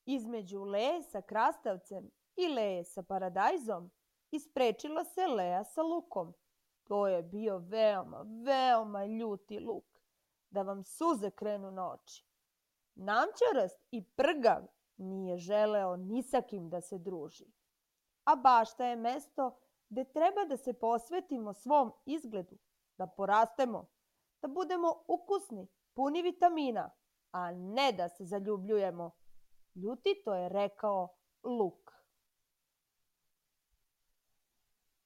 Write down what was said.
Između Leje sa krastavcem i Leje sa paradajzom isprečila se Leja sa lukom. To je bio veoma, veoma ljuti luk, da vam suze krenu na oči. Namćarast i prgav nije želeo ni sa kim da se druži. A bašta je mesto gde treba da se posvetimo svom izgledu, da porastemo, da budemo ukusni, puni vitamina, a ne da se zaljubljujemo. Ljutito je rekao Luk.